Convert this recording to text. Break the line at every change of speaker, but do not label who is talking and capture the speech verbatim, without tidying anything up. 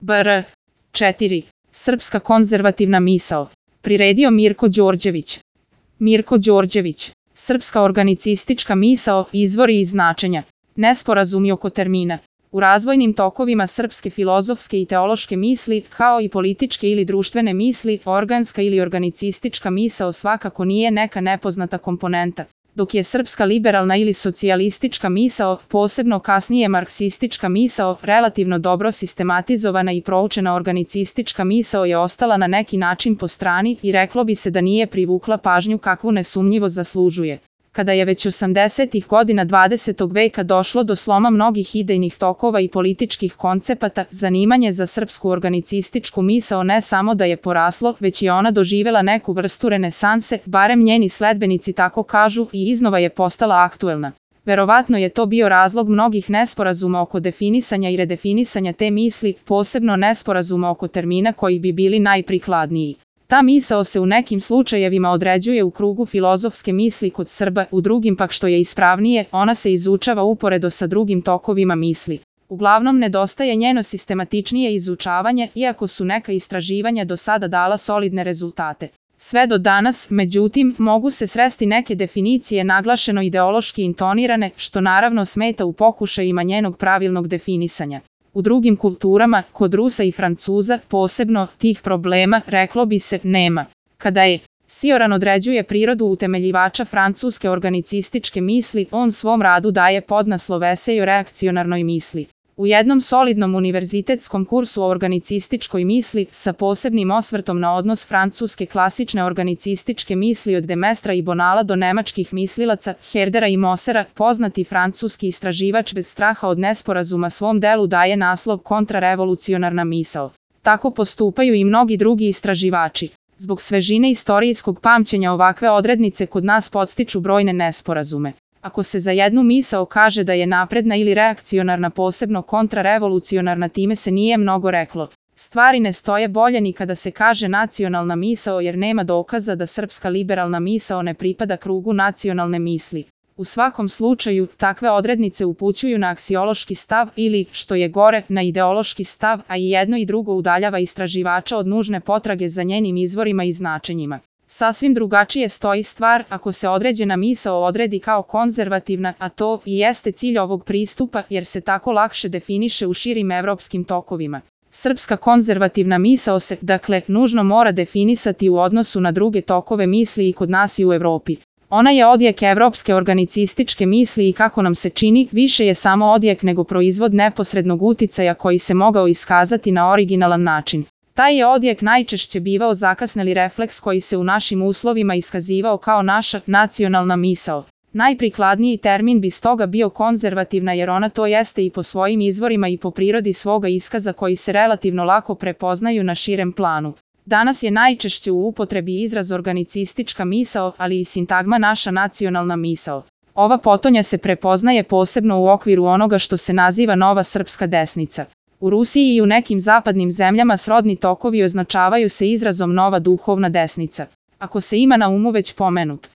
Br. četiri. Srpska konzervativna misao. Priredio Mirko Đorđević. Mirko Đorđević. Srpska organicistička misao, izvori i značenja. Nesporazumi oko termina. U razvojnim tokovima srpske filozofske i teološke misli, kao i političke ili društvene misli, organska ili organicistička misao svakako nije neka nepoznata komponenta, dok je srpska liberalna ili socijalistička misao, posebno kasnije marksistička misao, relativno dobro sistematizovana i proučena organicistička misao je ostala na neki način po strani i reklo bi se da nije privukla pažnju kakvu nesumnjivo zaslužuje. Kada je već osamdesetih godina dvadesetog veka došlo do sloma mnogih idejnih tokova i političkih koncepata, zanimanje za srpsku organicističku misao ne samo da je poraslo, već je ona doživela neku vrstu renesanse, barem njeni sledbenici tako kažu, i iznova je postala aktuelna. Verovatno je to bio razlog mnogih nesporazuma oko definisanja i redefinisanja te misli, posebno nesporazuma oko termina koji bi bili najprikladniji. Ta misao se u nekim slučajevima određuje u krugu filozofske misli kod Srba, u drugim pak što je ispravnije, ona se izučava uporedo sa drugim tokovima misli. Uglavnom nedostaje njeno sistematičnije izučavanje, iako su neka istraživanja do sada dala solidne rezultate. Sve do danas, međutim, mogu se sresti neke definicije naglašeno ideološki intonirane, što naravno smeta u pokušajima njenog pravilnog definisanja. U drugim kulturama, kod Rusa i Francuza, posebno, tih problema, reklo bi se, nema. Kada je Sioran određuje prirodu utemeljivača francuske organicističke misli, on svom radu daje podnaslov Esej o reakcionarnoj misli. U jednom solidnom univerzitetskom kursu o organicističkoj misli, sa posebnim osvrtom na odnos francuske klasične organicističke misli od Demestra i Bonala do nemačkih mislilaca, Herdera i Mosera, poznati francuski istraživač bez straha od nesporazuma svom delu daje naslov Kontrarevolucionarna misao. Tako postupaju i mnogi drugi istraživači. Zbog svežine istorijskog pamćenja ovakve odrednice kod nas podstiču brojne nesporazume. Ako se za jednu misao kaže da je napredna ili reakcionarna, posebno kontrarevolucionarna, time se nije mnogo reklo. Stvari ne stoje bolje ni kada se kaže nacionalna misao, jer nema dokaza da srpska liberalna misao ne pripada krugu nacionalne misli. U svakom slučaju, takve odrednice upućuju na aksiološki stav ili, što je gore, na ideološki stav, a i jedno i drugo udaljava istraživača od nužne potrage za njenim izvorima i značenjima. Sasvim drugačije stoji stvar ako se određena misao odredi kao konzervativna, a to i jeste cilj ovog pristupa, jer se tako lakše definiše u širim evropskim tokovima. Srpska konzervativna misao se, dakle, nužno mora definisati u odnosu na druge tokove misli i kod nas i u Evropi. Ona je odjek evropske organicističke misli i, kako nam se čini, više je samo odjek nego proizvod neposrednog uticaja koji se mogao iskazati na originalan način. Taj je odjek najčešće bivao zakasneli refleks koji se u našim uslovima iskazivao kao naša nacionalna misao. Najprikladniji termin bi stoga bio konzervativna, jer ona to jeste i po svojim izvorima i po prirodi svoga iskaza koji se relativno lako prepoznaju na širem planu. Danas je najčešće u upotrebi izraz organicistička misao, ali i sintagma naša nacionalna misao. Ova potonja se prepoznaje posebno u okviru onoga što se naziva nova srpska desnica. U Rusiji i u nekim zapadnim zemljama srodni tokovi označavaju se izrazom nova duhovna desnica. Ako se ima na umu već pomenut